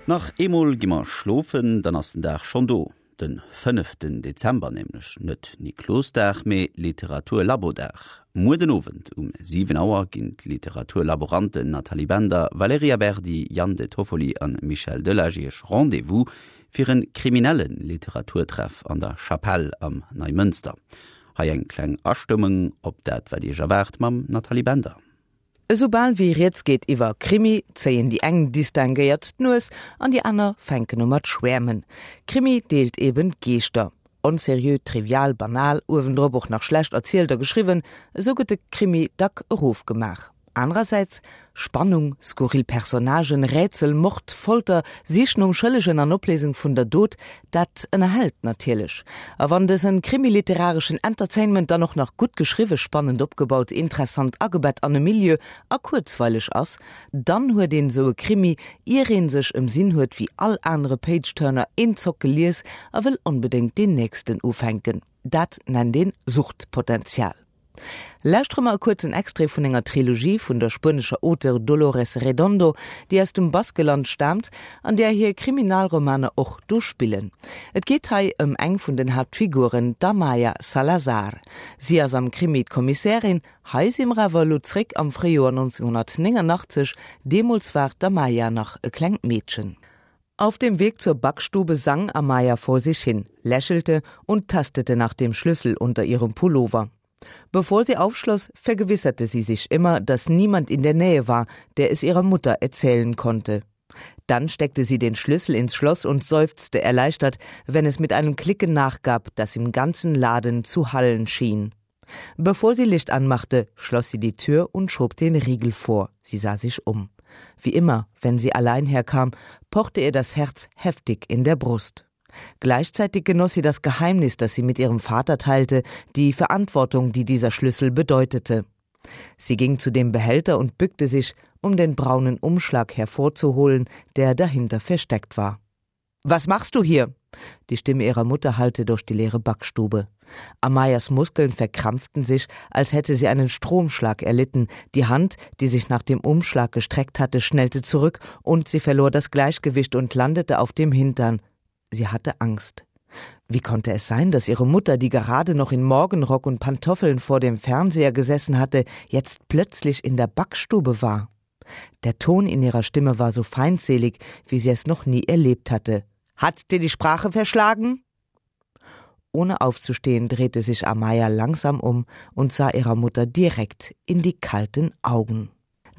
Nach eemol gi mer schlofen, dann ass den Dag schonn do. Den fënneften Dezember nämlech, net Niklosdag, mee Literaturlabodag. Muer den Owend um 7 Auer ginn d'Literaturlaboranten Nathalie Bender, Valerija Berdi, Yann De Toffoli an Michel Delage iech Rendez-vous fir en kriminelle Literaturtreff an der Chapelle am Neimënster. Hei eng kleng Astëmmung op dat wat iech erwaart mam Nathalie Bender. Esoubal wéi rieds geet iwwer Krimi, zéien déi eng distinguéiert d'Nues an déi aner fänken u mat schwäermen. Krimi deelt eben d'Geeschter. Onseriö, trivial, banal, uewendrop och nach schlecht erzielt a geschriwwen, esou gëtt de Krimi dack erofgemaach. Anerersäits, Spannung, skurril Personnagen, Rätsel, Mord, Folter, Sich nom Schëllegen an Opléisung vun der Dot, Dat ënnerhält natierlech. A wann dësen krimiliterareschen Entertainment dann och nach gutt geschriwwen, spannend opgebaut, interessant agebett an e Milieu a kuerzweileg ass, dann huet een esou e Krimi, ier een sech ëmsinn huet, wéi all anere Page-Turner eenzock gelies a wëll onbedéngt deen nächsten ufänken. Dat nennt een Suchtpotenzial. Lauschtere mer e kuerzen Extrait vun enger Trilogie vun der spuenescher Auteure Dolores Redondo, déi aus dem Baskeland staamt an där hir Kriminalromaner och do spillen. Et geet hei ëm eng vun den Haaptfiguren, d'Amaya Salazar. Si ass am Krimi d'Kommissärin. Hei si mer awer elo zréck am Fréijoer 1989, deemools war d'Amaya nach e klengt Meedchen. Auf dem Weg zur Backstube sang Amaya vor sich hin, lächelte und tastete nach dem Schlüssel unter ihrem Pullover. Bevor sie aufschloss, vergewisserte sie sich immer, dass niemand in der Nähe war, der es ihrer Mutter erzählen konnte. Dann steckte sie den Schlüssel ins Schloss und seufzte erleichtert, wenn es mit einem Klicken nachgab, das im ganzen Laden zu hallen schien. Bevor sie Licht anmachte, schloss sie die Tür und schob den Riegel vor. Sie sah sich um. Wie immer, wenn sie allein herkam, pochte ihr das Herz heftig in der Brust. Gleichzeitig genoss sie das Geheimnis, das sie mit ihrem Vater teilte, die Verantwortung, die dieser Schlüssel bedeutete. Sie ging zu dem Behälter und bückte sich, um den braunen Umschlag hervorzuholen, der dahinter versteckt war. Was machst du hier? Die Stimme ihrer Mutter hallte durch die leere Backstube. Amayas Muskeln verkrampften sich, als hätte sie einen Stromschlag erlitten. Die Hand, die sich nach dem Umschlag gestreckt hatte, schnellte zurück und sie verlor das Gleichgewicht und landete auf dem Hintern. Sie hatte Angst. Wie konnte es sein, dass ihre Mutter, die gerade noch in Morgenrock und Pantoffeln vor dem Fernseher gesessen hatte, jetzt plötzlich in der Backstube war? Der Ton in ihrer Stimme war so feindselig, wie sie es noch nie erlebt hatte. Hat's dir die Sprache verschlagen? Ohne aufzustehen, drehte sich Amaya langsam um und sah ihrer Mutter direkt in die kalten Augen.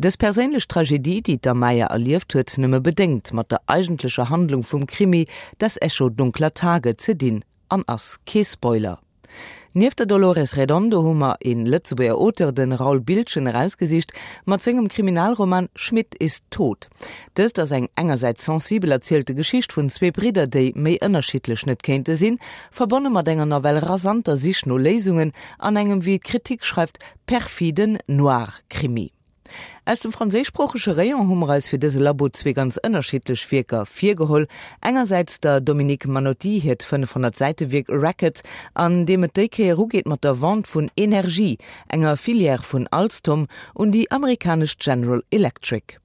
Dës perséinlech Tragedie, déi d'Amaya erlieft, huet nëmme bedéngt mat der eigentlecher Handlung vum Krimi Das Echo dunkler Tage ze dinn an ass kee Spoiler. Nieft der Dolores Redondo hu mer een Lëtzebuerger Auteur, den Raoul Biltgen, erausgesicht mat sengem Kriminalroman Schmidt ist tot. Dëst ass eng engersäits sensibel erzielte Geschicht vun zwee Bridder, déi méi ënnerschiddlech net kéinte sinn, verbonne mat enger nawell rasanter Sich no Léisungen an engem, wéi d'Kritik schreift, perfiden Noir-Krimi. Aus dem franséischsproochege Rayon hu mer eis fir dëse Labo zwee ganz ënnerschiddlech Wierker virgeholl, engersäits der Dominique Manotti hiert 500 Säite Wierk Racket, an deem et déi Kéier ugeet mat der Vente vun Energie, enger Filière vun Alstom, un déi amerikanesch General Electric.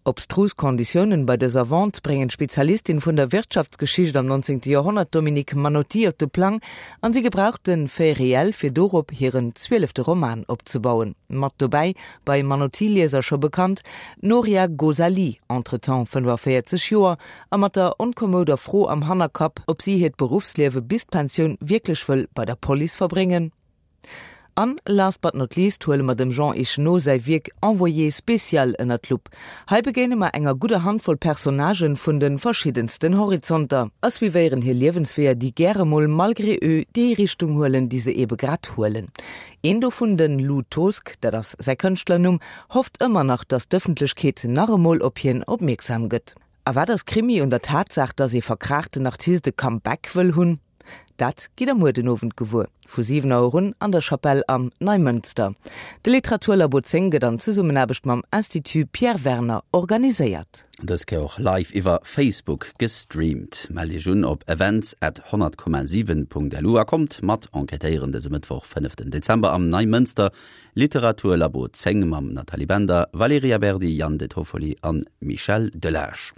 Obstrus Konditiounen bei dëser Vente bréngen d'Spezialistin vun der Wirtschaftsgeschicht am 19. Joerhonnert Dominique Manotti op de Plang an si gebraucht de Fait réel fir dorop hiren zwielefte Roman opzebauen. Mat dobäi, bei Manotti-Lieser scho bekannt, d'Noria Ghozali, entretemps 45 Joer a mat der onkommouder Fro am Hannerkapp, ob si hiert Beruffsliewe bis d'Pensioun wierklech wëll bei der Police verbréngen. An, last but not least, huele mer dem Jean Echenoz säi Wierk Envoyé spécial ënner d'Lupp. Hei begéine mer enger gudder Handvoll Personnagen vun de verschiddensten Horizonter a suivéieren hir Liewensweeër, déi gäre mol malgré eux déi Richtung huelen, déi se eebe grad huelen. Een dovun, den Lou Tosk, dat ass säi Kënschtlernumm, hofft ëmmer nach, datt d'Ëffentlechkeet nach emol op hien opmierksam gëtt. A wat ass Krimi un der Tatsaach, datt ee verkraachten Artist e Comeback wëll hunn? Dat gitt der muer den Owend gewuer, vu 7 Auer un an der Chapelle am Neimënster. De Literaturlabo 10 gëtt an Zesummenaarbecht mam Institut Pierre Werner organiséiert. Dës Kéier och live iwwer Facebook gestreamt. Mellt Iech un op events at 100,7.lu a kommt mat enquêtéieren dëse Mëttwoch, 5 Dezember am Neimënster, Literaturlabo 10 mam Nathalie Bender, Valerija Berdi, Yann De Toffoli an Michel Delage.